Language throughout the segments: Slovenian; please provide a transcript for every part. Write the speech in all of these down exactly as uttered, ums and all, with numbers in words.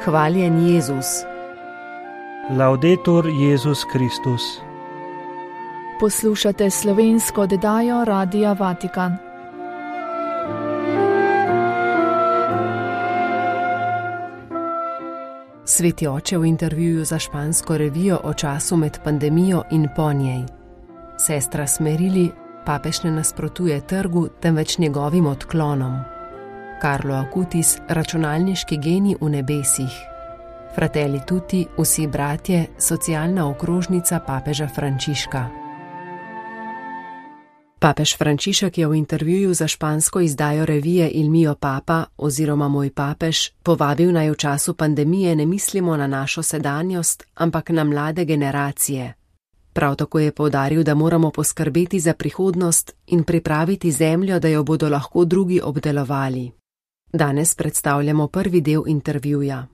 Hvaljen Jezus. Laudetur Jezus Kristus. Poslušate slovensko oddajo Radia Vatikan. Sveti oče v intervjuju za špansko revijo o času med pandemijo in po njej. Sestra smerili, papež ne nasprotuje trgu, temveč njegovim odklonom. Carlo Acutis, računalniški genij v nebesih. Fratelli tutti, vsi bratje, socialna okrožnica papeža Frančiška. Papež Frančišek je v intervjuju za špansko izdajo revije Il mio papa oziroma Moj papež povabil naj v času pandemije ne mislimo na našo sedanjost, ampak na mlade generacije. Prav tako je poudaril, da moramo poskrbeti za prihodnost in pripraviti zemljo, da jo bodo lahko drugi obdelovali. Danes predstavljamo prvi del intervjuja.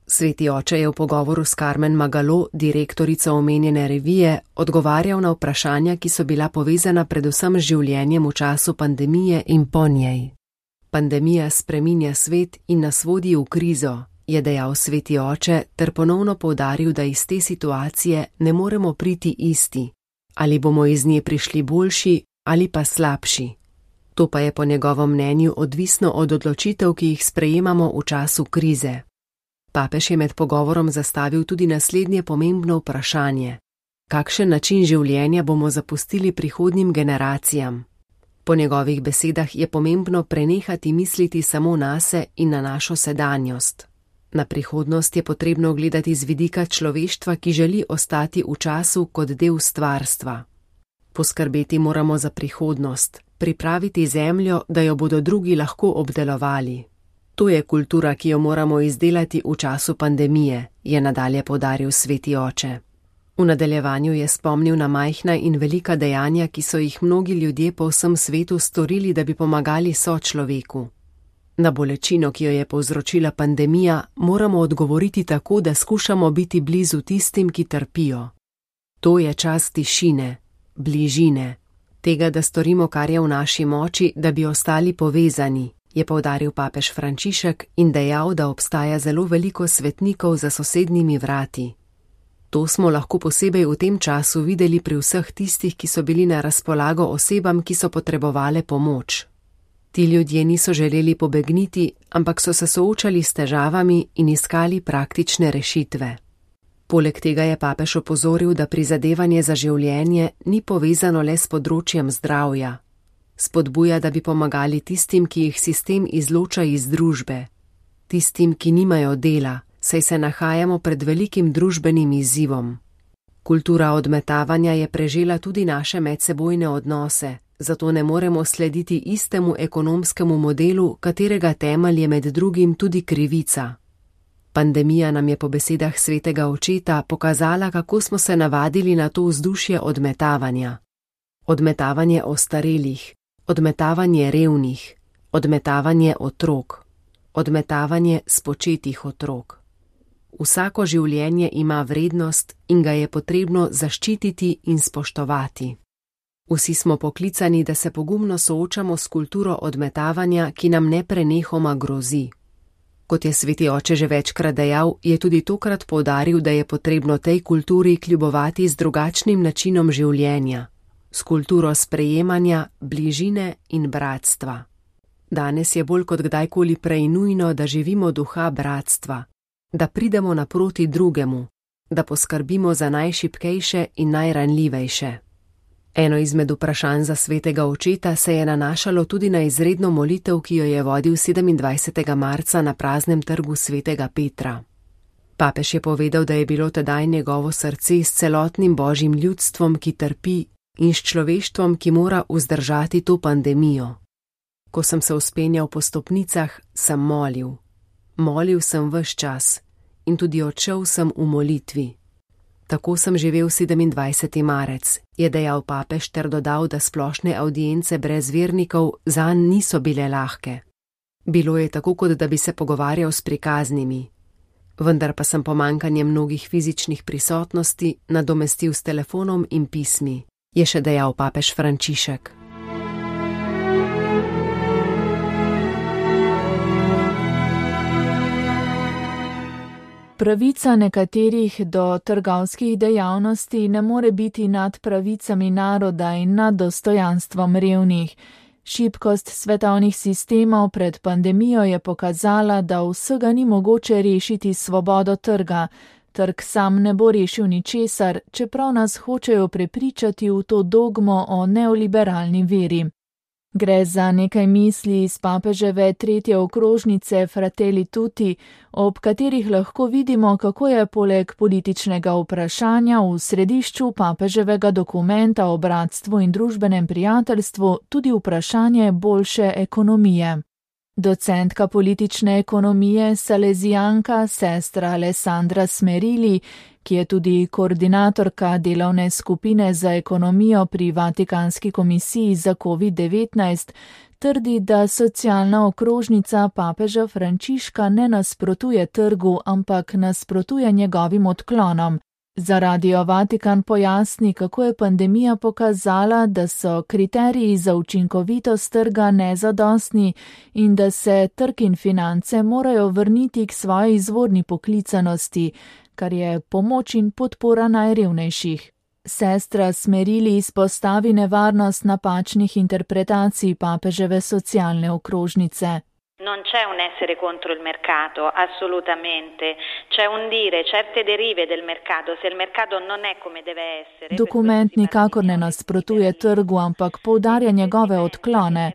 Sveti oče je v pogovoru s Carmen Magalo, direktorico omenjene revije, odgovarjal na vprašanja, ki so bila povezana predvsem z življenjem v času pandemije in po njej. Pandemija spreminja svet in nas vodi v krizo, je dejal sveti oče, ter ponovno poudaril, da iz te situacije ne moremo priti isti, ali bomo iz nje prišli boljši ali pa slabši. To pa je po njegovem mnenju odvisno od odločitev, ki jih sprejemamo v času krize. Papež je med pogovorom zastavil tudi naslednje pomembno vprašanje. Kakšen način življenja bomo zapustili prihodnjim generacijam? Po njegovih besedah je pomembno prenehati misliti samo nase in na našo sedanjost. Na prihodnost je potrebno gledati z vidika človeštva, ki želi ostati v času kot del stvarstva. Poskrbeti moramo za prihodnost, pripraviti zemljo, da jo bodo drugi lahko obdelovali. To je kultura, ki jo moramo izdelati v času pandemije, je nadalje poudaril sveti oče. V nadaljevanju je spomnil na majhna in velika dejanja, ki so jih mnogi ljudje po vsem svetu storili, da bi pomagali sočloveku. Na bolečino, ki jo je povzročila pandemija, moramo odgovoriti tako, da skušamo biti blizu tistim, ki trpijo. To je čas tišine, bližine, tega, da storimo, kar je v naši moči, da bi ostali povezani, je poudaril papež Frančišek in dejal, da obstaja zelo veliko svetnikov za sosednjimi vrati. To smo lahko posebej v tem času videli pri vseh tistih, ki so bili na razpolago osebam, ki so potrebovale pomoč. Ti ljudje niso želeli pobegniti, ampak so se soočali s težavami in iskali praktične rešitve. Poleg tega je papež opozoril, da prizadevanje za življenje ni povezano le s področjem zdravja. Spodbuja, da bi pomagali tistim, ki jih sistem izloča iz družbe. Tistim, ki nimajo dela, saj se nahajamo pred velikim družbenim izzivom. Kultura odmetavanja je prežela tudi naše medsebojne odnose, zato ne moremo slediti istemu ekonomskemu modelu, katerega temelj je med drugim tudi krivica. Pandemija nam je po besedah svetega očeta pokazala, kako smo se navadili na to vzdušje odmetavanja. Odmetavanje ostarelih, odmetavanje revnih, odmetavanje otrok, odmetavanje spočetih otrok. Vsako življenje ima vrednost in ga je potrebno zaščititi in spoštovati. Vsi smo poklicani, da se pogumno soočamo s kulturo odmetavanja, ki nam neprenehoma grozi. Kot je sveti oče že večkrat dejal, je tudi tokrat poudaril, da je potrebno tej kulturi kljubovati z drugačnim načinom življenja, s kulturo sprejemanja, bližine in bratstva. Danes je bolj kot kdajkoli prej nujno, da živimo duha bratstva, da pridemo naproti drugemu, da poskrbimo za najšibkejše in najranljivejše. Eno izmed vprašanj za svetega očeta se je nanašalo tudi na izredno molitev, ki jo je vodil sedemindvajsetega marca na praznem trgu svetega Petra. Papež je povedal, da je bilo tedaj njegovo srce s celotnim božjim ljudstvom, ki trpi, in s človeštvom, ki mora vzdržati to pandemijo. Ko sem se vzpenjal po stopnicah, sem molil. Molil sem ves čas in tudi odšel sem v molitvi. Tako sem živel sedemindvajseti marec, je dejal papež ter dodal, da splošne avdience brez vernikov zanj niso bile lahke. Bilo je tako, kot da bi se pogovarjal s prikaznimi. Vendar pa sem pomanjkanje mnogih fizičnih prisotnosti nadomestil s telefonom in pismi, je še dejal papež Frančišek. Pravica nekaterih do trgovskih dejavnosti ne more biti nad pravicami naroda in nad dostojanstvom revnih. Šibkost svetovnih sistemov pred pandemijo je pokazala, da vsega ni mogoče rešiti s svobodo trga. Trg sam ne bo rešil ničesar, čeprav nas hočejo prepričati v to dogmo o neoliberalni veri. Gre za nekaj misli iz papeževe tretje okrožnice Fratelli Tutti, ob katerih lahko vidimo, kako je poleg političnega vprašanja v središču papeževega dokumenta o bratstvu in družbenem prijateljstvu tudi vprašanje boljše ekonomije. Docentka politične ekonomije, salezijanka, sestra Alessandra Smerili, ki je tudi koordinatorka delovne skupine za ekonomijo pri Vatikanski komisiji za covid devetnajst, trdi, da socialna okrožnica papeža Frančiška ne nasprotuje trgu, ampak nasprotuje njegovim odklonom. Za Radio Vatikan pojasni, kako je pandemija pokazala, da so kriteriji za učinkovitost trga nezadostni in da se trg in finance morajo vrniti k svoji izvorni poklicanosti, kar je pomoč in podpora najrevnejših. Sestra Smerili izpostavi nevarnost napačnih interpretacij papeževe socialne okrožnice. Non c'è un essere contro il mercato, assolutamente. C'è un dire certe derive del mercato, se il mercato non è come deve essere. Dokument nikakor ne nasprotuje trgu, ampak poudarja njegove odklone.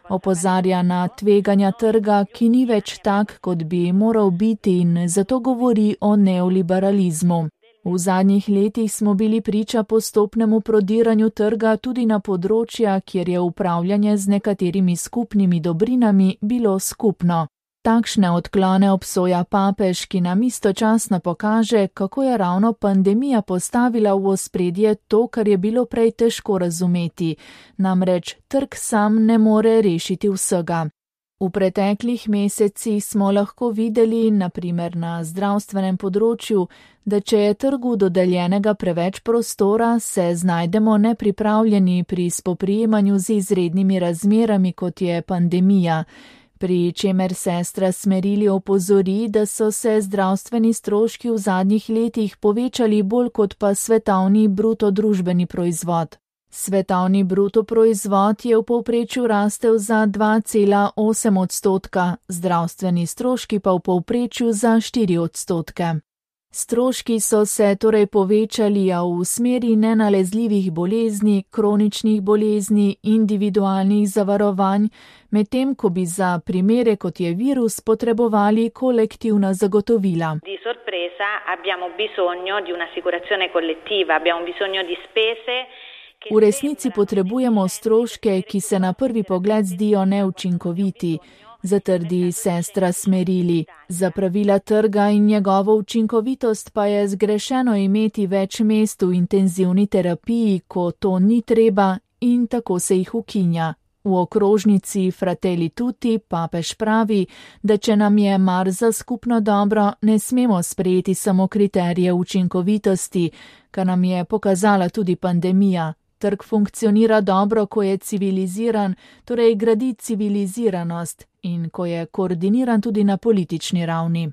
Opozarja na tveganja trga, ki ni več tak, kot bi moral biti, in zato govori o neoliberalizmu. V zadnjih letih smo bili priča postopnemu prodiranju trga tudi na področja, kjer je upravljanje z nekaterimi skupnimi dobrinami bilo skupno. Takšne odklone obsoja papež, ki nam istočasno pokaže, kako je ravno pandemija postavila v ospredje to, kar je bilo prej težko razumeti, namreč trg sam ne more rešiti vsega. V preteklih mesecih smo lahko videli, na primer na zdravstvenem področju, da če je trgu dodeljenega preveč prostora, se znajdemo nepripravljeni pri spoprijemanju z izrednimi razmerami, kot je pandemija, pri čemer sestra Smerili opozori, da so se zdravstveni stroški v zadnjih letih povečali bolj kot pa svetovni bruto družbeni proizvod. Svetovni bruto proizvod je v povprečju rastel za dva cela osem odstotka, zdravstveni stroški pa v povprečju za štiri odstotke. Stroški so se torej povečali, a v smeri nenalezljivih bolezni, kroničnih bolezni, individualnih zavarovanj, medtem ko bi za primere, kot je virus, potrebovali kolektivna zagotovila. Di sorpresa abbiamo bisogno di un'assicurazione collettiva, abbiamo bisogno di spese. V resnici potrebujemo stroške, ki se na prvi pogled zdijo neučinkoviti, zatrdi sestra Smerili. Za pravila trga in njegovo učinkovitost pa je zgrešeno imeti več mest v intenzivni terapiji, ko to ni treba, in tako se jih ukinja. V okrožnici Fratelli Tutti papež pravi, da če nam je mar za skupno dobro, ne smemo sprejeti samo kriterije učinkovitosti, kar nam je pokazala tudi pandemija. Trg funkcionira dobro, ko je civiliziran, torej gradi civiliziranost, in ko je koordiniran tudi na politični ravni.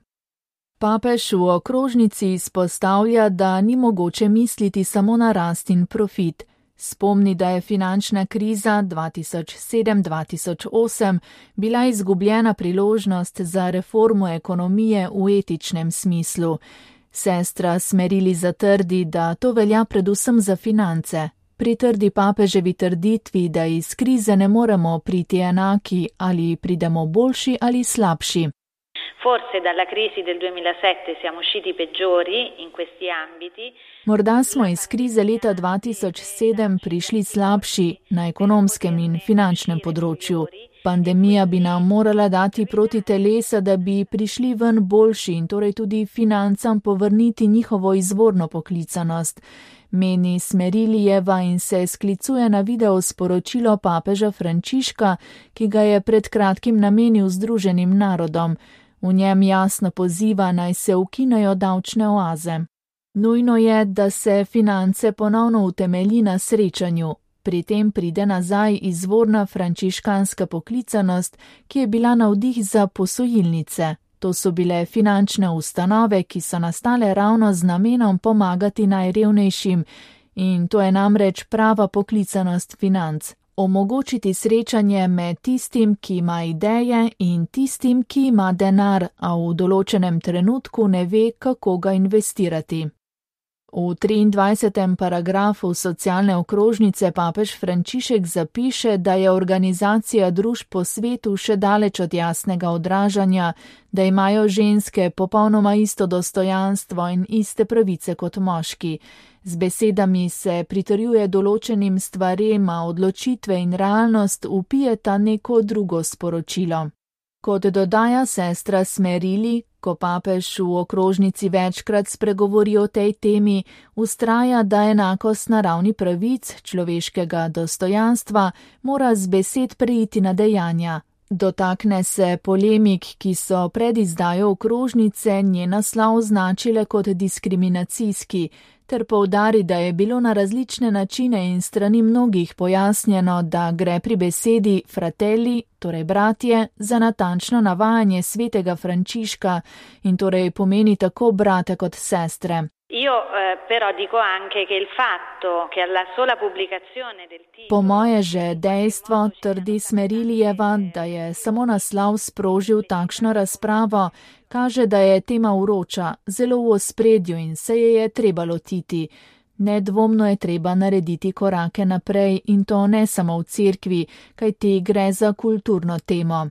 Papež v okrožnici izpostavlja, da ni mogoče misliti samo na rast in profit. Spomni, da je finančna kriza dva tisoč sedem dva tisoč osem bila izgubljena priložnost za reformo ekonomije v etičnem smislu. Sestra Smerili zatrdi, da to velja predvsem za finance. Pritrdi papeževi trditvi, da iz krize ne moremo priti enaki, ali pridemo boljši ali slabši. Forse dalla crisi del duemilasette siamo usciti peggiori in questi ambiti. Morda smo iz krize leta dva tisoč sedem prišli slabši na ekonomskem in finančnem področju. Pandemija bi nam morala dati proti telesa, da bi prišli ven boljši in torej tudi financam povrniti njihovo izvorno poklicanost. Meni Smerilijeva in se sklicuje na video sporočilo papeža Frančiška, ki ga je pred kratkim namenil Združenim narodom. V njem jasno poziva, naj se ukinejo davčne oaze. Nujno je, da se finance ponovno utemelji na srečanju. Pri tem pride nazaj izvorna frančiškanska poklicanost, ki je bila navdih za posojilnice. To so bile finančne ustanove, ki so nastale ravno z namenom pomagati najrevnejšim, in to je namreč prava poklicanost financ. Omogočiti srečanje med tistim, ki ima ideje, in tistim, ki ima denar, a v določenem trenutku ne ve, kako ga investirati. V triindvajsetem paragrafu socialne okrožnice papež Frančišek zapiše, da je organizacija družb po svetu še daleč od jasnega odražanja, da imajo ženske popolnoma isto dostojanstvo in iste pravice kot moški. Z besedami se pritrjuje določenim stvarem, a odločitve in realnost vpijeta neko drugo sporočilo. Kot dodaja sestra Smerili, ko papež v okrožnici večkrat spregovori o tej temi, vztraja, da enakost naravni pravic, človeškega dostojanstva, mora z besed preiti na dejanja. Dotakne se polemik, ki so pred izdajo okrožnice njen naslov označile kot diskriminacijski, ter poudari, da je bilo na različne načine in strani mnogih pojasnjeno, da gre pri besedi fratelli, torej bratje, za natančno navajanje svetega Frančiška in torej pomeni tako brate kot sestre. Io eh, però dico anche che il fatto che alla sola pubblicazione del titolo... Po moje že dejstvo, trdi Smerilijeva, da je samo naslov sprožil takšno razpravo, kaže, da je tema vroča, zelo v ospredju in se je je treba lotiti. Nedvomno je treba narediti korake naprej in to ne samo v cerkvi, kajti gre za kulturno temo.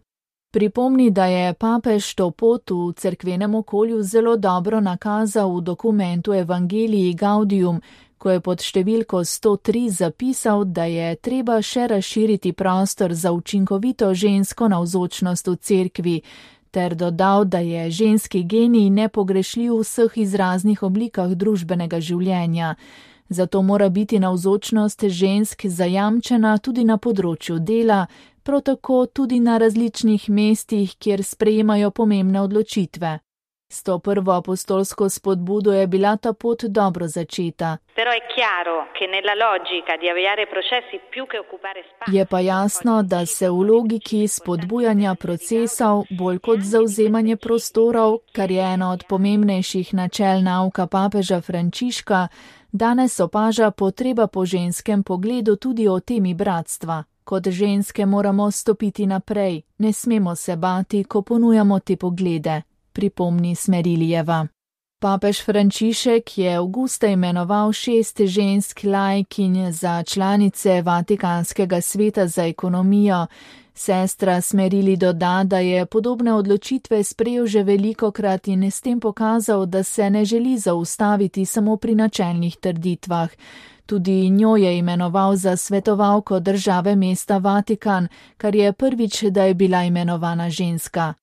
Pripomni, da je papež to pot v cerkvenem okolju zelo dobro nakazal v dokumentu Evangelii Gaudium, ko je pod številko sto tri zapisal, da je treba še razširiti prostor za učinkovito žensko navzočnost v cerkvi, ter dodal, da je ženski genij nepogrešljiv v vseh izraznih oblikah družbenega življenja. Zato mora biti navzočnost žensk zajamčena tudi na področju dela, prav tako tudi na različnih mestih, kjer sprejemajo pomembne odločitve. S to prvo apostolsko spodbudo je bila ta pot dobro začeta. Je pa jasno, da se v logiki spodbujanja procesov bolj kot zauzemanje prostorov, kar je eno od pomembnejših načel nauka papeža Frančiška, danes opaža potreba po ženskem pogledu tudi o temi bratstva. Kot ženske moramo stopiti naprej, ne smemo se bati, ko ponujamo te poglede, pripomni Smerilijeva. Papež Frančišek je avgusta imenoval šest žensk laikinj za članice Vatikanskega sveta za ekonomijo. Sestra Smerili doda, da je podobne odločitve sprejel že velikokrat in s tem pokazal, da se ne želi zaustaviti samo pri načelnih trditvah. Tudi njo je imenoval za svetovalko države mesta Vatikan, kar je prvič, da je bila imenovana ženska.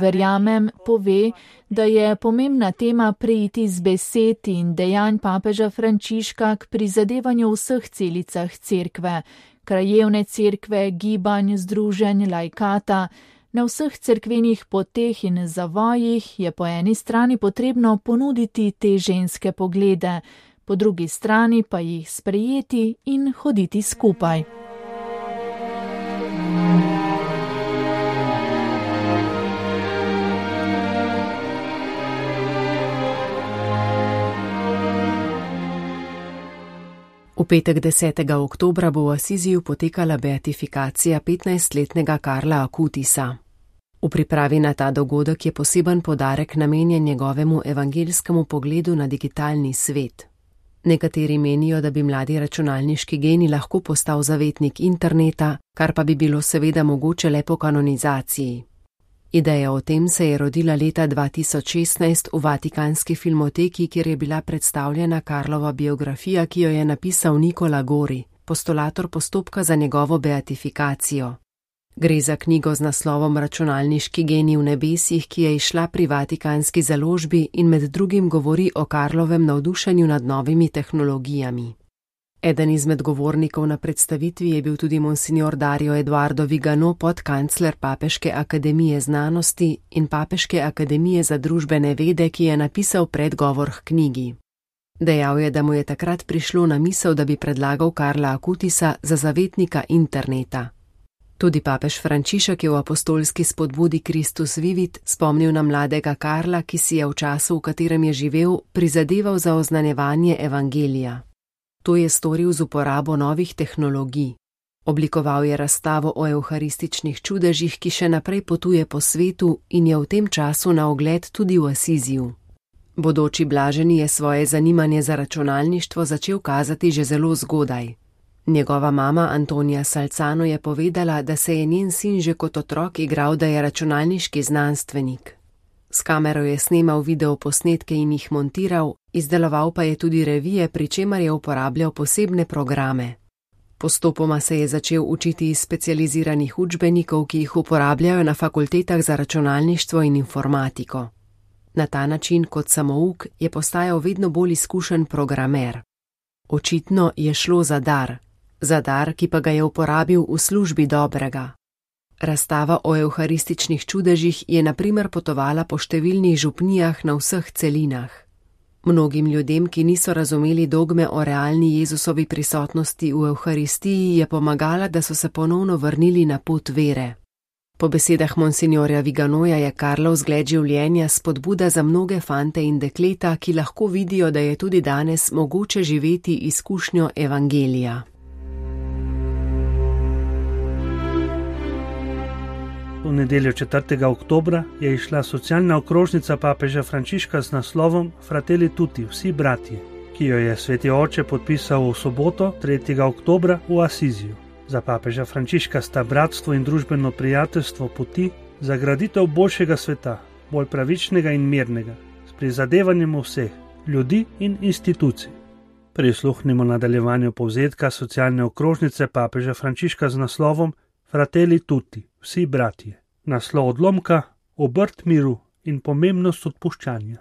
Verjamem, pove, da je pomembna tema preiti z besed in dejanj papeža Frančiška k prizadevanju v vseh celicah cerkve, krajevne cerkve, gibanj, združenj, laikata. Na vseh cerkvenih poteh in zavojih je po eni strani potrebno ponuditi te ženske poglede, po drugi strani pa jih sprejeti in hoditi skupaj. V petek desetega oktobra bo v Asiziju potekala beatifikacija petnajstletnega Karla Akutisa. V pripravi na ta dogodek je poseben poudarek namenjen njegovemu evangeljskemu pogledu na digitalni svet. Nekateri menijo, da bi mladi računalniški genij lahko postal zavetnik interneta, kar pa bi bilo seveda mogoče le po kanonizaciji. Ideja o tem se je rodila leta dva tisoč šestnajst v Vatikanski filmoteki, kjer je bila predstavljena Karlova biografija, ki jo je napisal Nicola Gori, postulator postopka za njegovo beatifikacijo. Gre za knjigo z naslovom Računalniški genij v nebesih, ki je izšla pri Vatikanski založbi in med drugim govori o Karlovem navdušenju nad novimi tehnologijami. Eden izmed govornikov na predstavitvi je bil tudi monsignor Dario Eduardo Vigano, podkancler Papeške akademije znanosti in Papeške akademije za družbene vede, ki je napisal predgovor k knjigi. Dejal je, da mu je takrat prišlo na misel, da bi predlagal Karla Akutisa za zavetnika interneta. Tudi papež Frančišek je v apostolski spodbudi Christus Vivit spomnil na mladega Karla, ki si je v času, v katerem je živel, prizadeval za oznanjevanje evangelija. To je storil z uporabo novih tehnologij. Oblikoval je razstavo o evharističnih čudežih, ki še naprej potuje po svetu in je v tem času na ogled tudi v Asiziju. Bodoči blaženi je svoje zanimanje za računalništvo začel kazati že zelo zgodaj. Njegova mama Antonija Salcano je povedala, da se je njen sin že kot otrok igral, da je računalniški znanstvenik. S kamero je snemal videoposnetke in jih montiral, izdeloval pa je tudi revije, pri čemer je uporabljal posebne programe. Postopoma se je začel učiti iz specializiranih učbenikov, ki jih uporabljajo na fakultetah za računalništvo in informatiko. Na ta način kot samouk je postajal vedno bolj izkušen programer. Očitno je šlo za dar, za dar, ki pa ga je uporabil v službi dobrega. Razstava o evharističnih čudežih je na primer potovala po številnih župnijah na vseh celinah. Mnogim ljudem, ki niso razumeli dogme o realni Jezusovi prisotnosti v evharistiji, je pomagala, da so se ponovno vrnili na pot vere. Po besedah monsinjorja Viganoja je Karlov zgled življenja spodbuda za mnoge fante in dekleta, ki lahko vidijo, da je tudi danes mogoče živeti izkušnjo evangelija. V nedeljo četrtega oktobra je izšla socialna okrožnica papeža Frančiška z naslovom Fratelli tutti, vsi bratje, ki jo je sveti oče podpisal v soboto, tretjega oktobra v Asiziju. Za papeža Frančiška sta bratstvo in družbeno prijateljstvo poti za graditev boljšega sveta, bolj pravičnega in mirnega, s prizadevanjem vseh, ljudi in institucij. Prisluhnimo nadaljevanju povzetka socialne okrožnice papeža Frančiška z naslovom Fratelli tutti, vsi bratje. Naslov odlomka, obrt miru in pomembnost odpuščanja.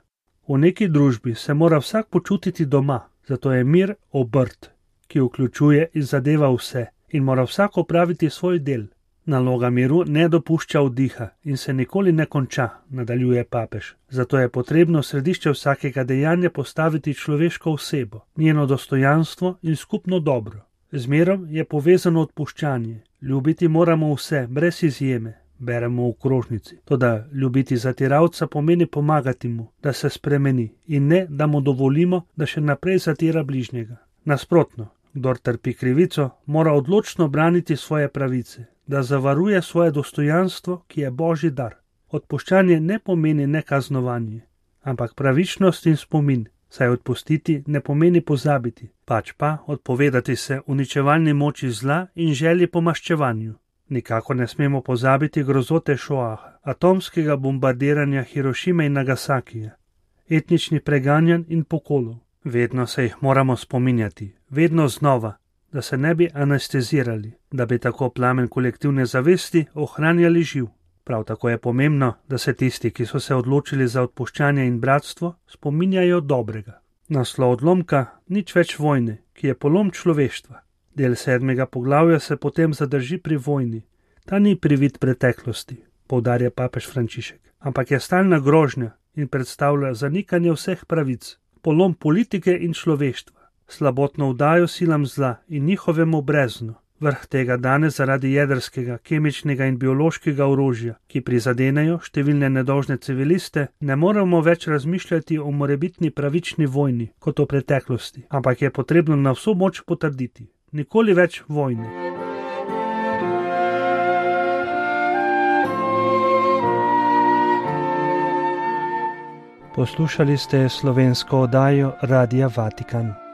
V neki družbi se mora vsak počutiti doma, zato je mir obrt, ki vključuje in zadeva vse in mora vsak opraviti svoj del. Naloga miru ne dopušča vdiha in se nikoli ne konča, nadaljuje papež. Zato je potrebno v središče vsakega dejanja postaviti človeško osebo, njeno dostojanstvo in skupno dobro. Z mirom je povezano odpuščanje. Ljubiti moramo vse, brez izjeme, beremo v krožnici. Toda ljubiti zatiralca pomeni pomagati mu, da se spremeni in ne, da mu dovolimo, da še naprej zatira bližnjega. Nasprotno, kdor trpi krivico, mora odločno braniti svoje pravice, da zavaruje svoje dostojanstvo, ki je božji dar. Odpuščanje ne pomeni nekaznovanje, ampak pravičnost in spomin. Saj odpustiti ne pomeni pozabiti, pač pa odpovedati se uničevalni moči zla in želji po maščevanju. Nikako ne smemo pozabiti grozote Šoaha, atomskega bombardiranja Hirošime in Nagasakija, etničnih preganjanj in pokolov. Vedno se jih moramo spominjati, vedno znova, da se ne bi anestezirali, da bi tako plamen kolektivne zavesti ohranjali živ. Prav tako je pomembno, da se tisti, ki so se odločili za odpuščanje in bratstvo, spominjajo dobrega. Naslov odlomka, nič več vojne, ki je polom človeštva. Del sedmega poglavja se potem zadrži pri vojni. Ta ni privid preteklosti, poudarja papež Frančišek, ampak je stalna grožnja in predstavlja zanikanje vseh pravic, polom politike in človeštva, slabotno vdajo silam zla in njihovemu breznu. Vrh tega danes zaradi jedrskega, kemičnega in biološkega orožja, ki prizadenejo številne nedolžne civiliste, ne moremo več razmišljati o morebitni pravični vojni kot o preteklosti, ampak je potrebno na vso moč potrditi. Nikoli več vojne. Poslušali ste slovensko oddajo Radia Vatikan.